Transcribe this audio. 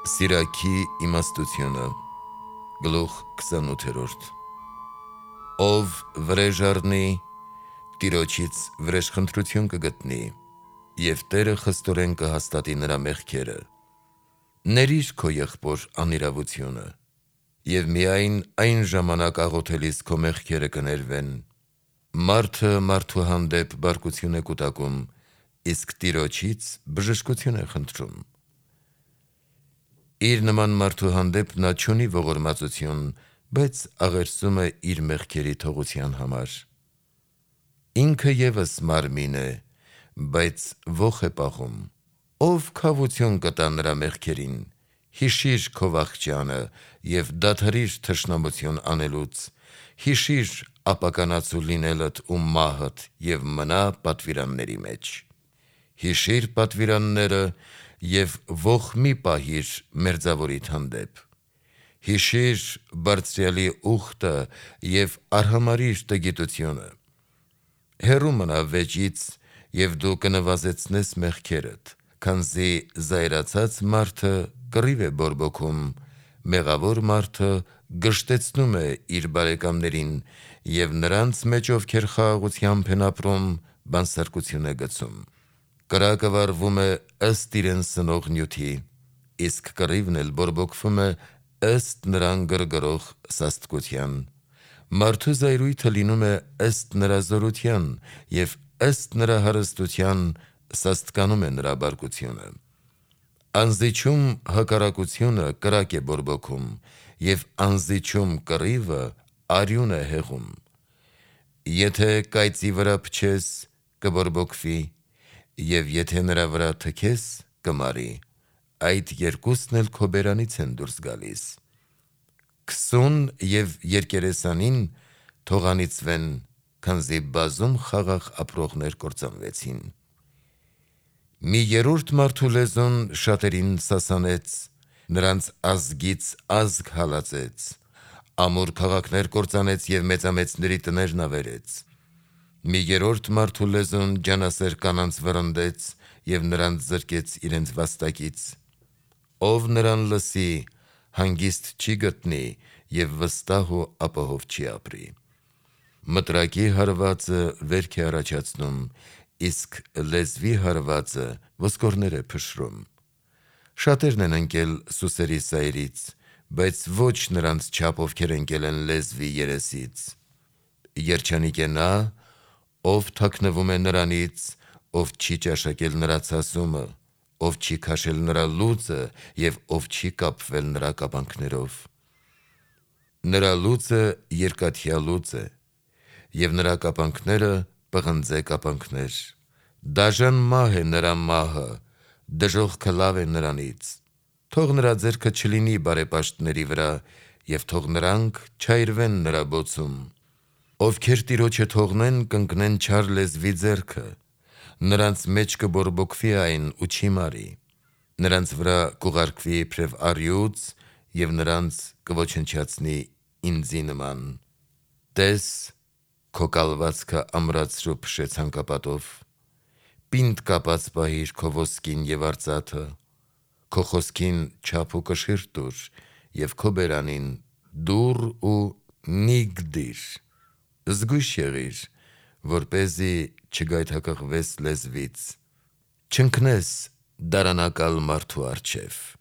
Սիրակի իմաստությունը Գլուխ 28 Ով վրեժ առնի, Տիրոջից վրեժխնդրություն կգտնի, և Տերը խստորեն կհաստատի նրա մեղքերը։ Ներիր քո եղբոր անիրավությունը, և միայն այն ժամանակ աղոթելիս քո մեղքերը կներվեն։ Մարդը մարդու հանդեպ բարկություն է կուտակում, իսկ Տիրոջից բժշկություն է խնդրում։ Իր նման մարդու հանդեպ նա չունի ողորմածություն, բայց աղերսում է իր մեղքերի թողության համար։ Ինքը ևս մարմին է, բայց ոխ է պահում։ Ով քավություն կտա նրա մեղքերին։ Հիշիր քո վախճանը և դադարիր թշնամություն անելուց։ Հիշիր ապականացու լինելդ ու մահդ և մնա պատվիրանների մեջ։ Հիշիր պատվիրանները և ոխ մի պահիր մերձավորիդ հանդեպ։ Հիշիր Բարձրյալի ուխտը և արհամարհիր տգիտությունը։ Հեռու մնա վեճից և դու կնվազեցնես մեղքերդ, քանզի զայրացած մարդը կռիվ է բորբոքում, մեղավոր մարդը գժտեցնում է իր բարեկամներին և նրանց մեջ, ովքեր խաղաղությամբ են ապրում, բանսարկություն է գցում։ Կրակը վառվում է ըստ իրեն սնող նյութի, իսկ կռիվն էլ բորբոքվում է ըստ նրան գրգռող սաստկության։ Մարդու զայրույթը լինում է ըստ նրա զորության, և ըստ նրա հարստության սաստկանում է նրա բարկությունը։ Անզիջում հակառակությունը կրակ է բորբոքում, և անզիջում կռիվը արյուն է հեղում։ Եթե կայծի վրա փչես, կբորբոքվի, և եթե նրա վրա թքես, կմարի, այդ երկուսն էլ քո բերանից են դուրս գալիս։ Քսուն և երկերեսանին թող անիծվեն, քանզի բազում խաղաղ ապրողներ կործանվեցին։ Մի երրորդ մարդու լեզուն շատերին սասանեց, նրանց ազգից ազգ հալածեց, ամուր քաղաքներ կործանեց և մեծամեծների տներն ավերեց։ Մի երրորդ մարդու լեզուն ջանասեր կանանց վռնդեց և նրանց զրկեց իրենց վաստակից։ Ով նրան լսի, հանգիստ չի գտնի և վստահ ու ապահով չի ապրի։ Մտրակի հարվածը վերք է առաջացնում, իսկ լեզվի հարվածը ոսկորներ է փշրում։ Շատերն են ընկել սուսերի սայրից, բայց ոչ նրանց չափ, ովքեր ընկել են լեզվի երեսից։ Երջանիկ է նա, ով թաքնվում է նրանից, ով չի ճաշակել նրա ցասումը, ով չի քաշել նրա լուծը և ով չի կապվել նրա կապանքներով։ Նրա լուծը երկաթյա լուծ է, և նրա կապանքները պղնձե կապանքներ։ Դաժան մահ է նրա մահը, դժոխքը լավ է նրանից։ Թող նրա ձեռքը չլինի բարեպաշտների վրա, և թող նրանք չայրվեն նրա բոցում։ Ովքեր Տիրոջը թողնեն, կընկնեն չար լեզվի ձեռքը, նրանց մեջ կբորբոքվի այն ու չի մարի։ Նրանց վրա կուղարկվի իբրև առյուծ և նրանց կոչնչացնի ինձի նման։ Տես, քո կալվածքը ամրացրու փշե ցանկապատով։ Պինդ կապած պահիր քո ոսկին և արծաթը։ Քո խոսքին չափ ու կշիռ տուր և քո բերանին դուռ ու նիգ դիր։ Զգույշ եղիր, որպեսզի չգայթակղվես լեզվից, չընկնես դարանակալ մարդու առջև։